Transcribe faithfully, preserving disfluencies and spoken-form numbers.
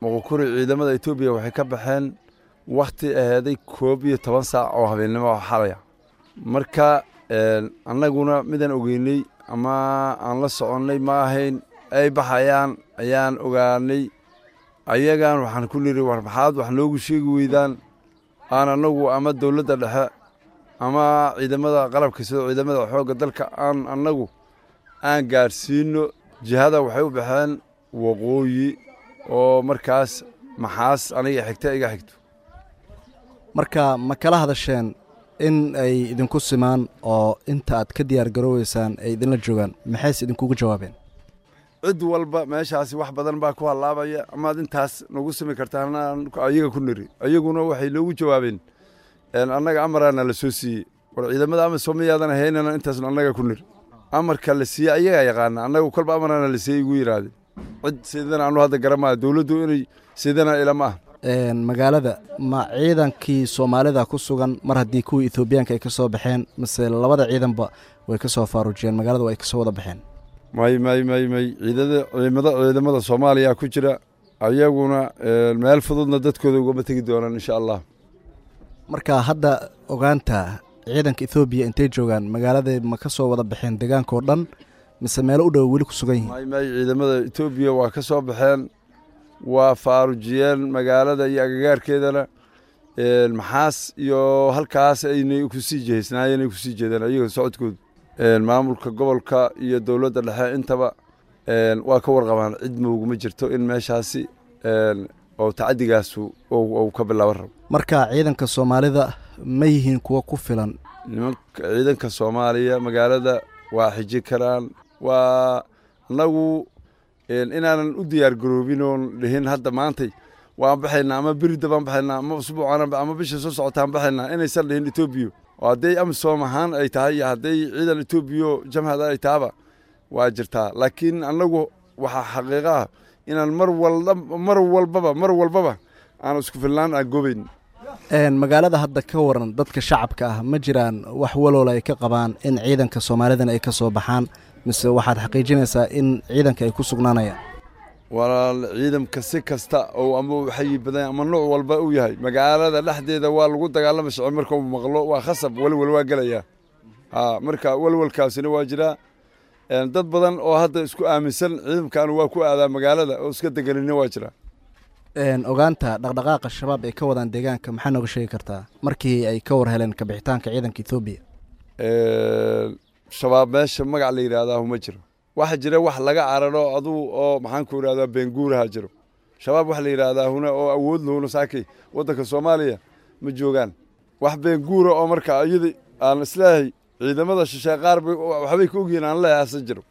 Moqokuri ciidamada Etoobiya waxay ka baxeen wakhti aheeday koob iyo toban saac oo habeennimo oo xalaya. Marka annaguna midaan ogeynay ama aan la soconnay ma ahayn, ay baxayaan ayaan ogaanay. Ayagaan waxaan ku niri, war maxaad wax noogu sheegi weydaan, aan annagu ama dowladda dhexe ama ciidamada qalabka sida ciidamada xoogga dalka aan annagu aan gaadhsiino. Jihada waxay u baxeen waqooyi oo markaas Maxaas aniga xigta iga xigto. Marka ma kala hadasheen in ay idinku simaan oo inta aad ka diyaar garooweysaan ay idinla joogaan? Maxayse idinkugu jawaabeen? Cid walba meeshaasi wax badan baa ku hallaabaya, amaad intaas nagu simi kartaan ayaga ku niri. Ayaguna waxay noogu jawaabeen, annaga amaraana la soo siiyey. War ciidamada AMISOM miyaadan ahaynana intaasna annaga ku niri. Amarka la siiyey ayagaa yaqaana, annagu kolba amaraana la siiyey igu yidhaahdeen. Cid sidana anu hadda garamaya dowladdu inay sidana ilama ah. Magaalada ma ciidankii Soomaalida ku sugan mar haddii kuwii Etoobiyaanka ay ka soo baxeen, mise labada ciidanba way ka soo faaruujiyeen magaalada, way ka soo wada baxeen? May may may may, ciidada ciidamada ciidamada Soomaaliya ku jira, ayaguna meel fududna dadkooda ugama tegi doonaan, insha Allah. Marka hadda ogaanta ciidanka Etoobiya intay joogaan magaalada, ma ka soo wada baxeen deegaanka oo dhan mise meelo u dhow weli ku sugan yihiin? May may, ciidamada Etoobiya waa ka soo baxeen, waa faarujiyeen magaalada iyo agagaarkeedana. Maxaas iyo halkaas aynay kusii jehaysnaayeen, ay kusii jeedeen ayaga socodkoodu. Maamulka gobolka iyo dowladda dhexe intaba waa ka warqabaan, cid mooguma jirto in meeshaasi oo tacaddigaasu uu ka bilaaban rabo. Marka ciidanka Soomaalida ma yihiin kuwo ku filan? Nimanka ciidanka Soomaaliya magaalada waa xiji karaan. Waa annagu inaanan u diyaar garoobin oon dhihin hadda maantay waan baxaynaa ama berida baan baxaynaa ama usbuucan ama bisha soo socotaan baxaynaa, inaysan dhihin Etoobiya. Oo hadday AMISOM ahaan ay tahay iyo hadday ciidan Etoobiya jamhada ay tahaba waa jirtaa, laakiin annagu waxaa xaqiiqa ah inaan mar walba mar walbaba mar walbaba aan isku filnaan aan goobayn. Magaalada hadda ka waran dadka shacabka ah, ma jiraan wax waloola ay ka qabaan in ciidanka Soomaalidana ay ka soo baxaan, mise waxaad xaqiijinaysaa in ciidanka ay ku sugnaanayaan? Walaal, ciidanka si kasta oo ama uu xayi badan ama nooc walba uu yahay, magaalada dhexdeeda waa lagu dagaalama socon. Marka uu maqlo waa khasab, walwal waa gelayaa. Ha, marka walwalkaasina waa jiraa. Dad badan oo hadda isku aaminsan ciidankan waa ku aadaa magaalada oo iska deganina waa jiraa. Ogaanta dhaqdhaqaaqa Shabaab ay ka wadaan deegaanka maxaa nooga sheegi kartaa markii ay ka war heleen kabixitaanka ciidanka Etoobiya? Shabaab meesha magac la yidhaahdaa ma jiro. Waxa jira wax laga cararo aduu oo maxaan ku idhahdaa beenguuraha jiro. Shabaab wax la yidhaahdaa huna oo awood lahuna saakay waddanka Soomaaliya ma joogaan. Wax beenguura oo marka iyada aan isleeyahay ciidamada shisheeye qaar waxbay ka ogyihiin aan leeyahay asan jiro.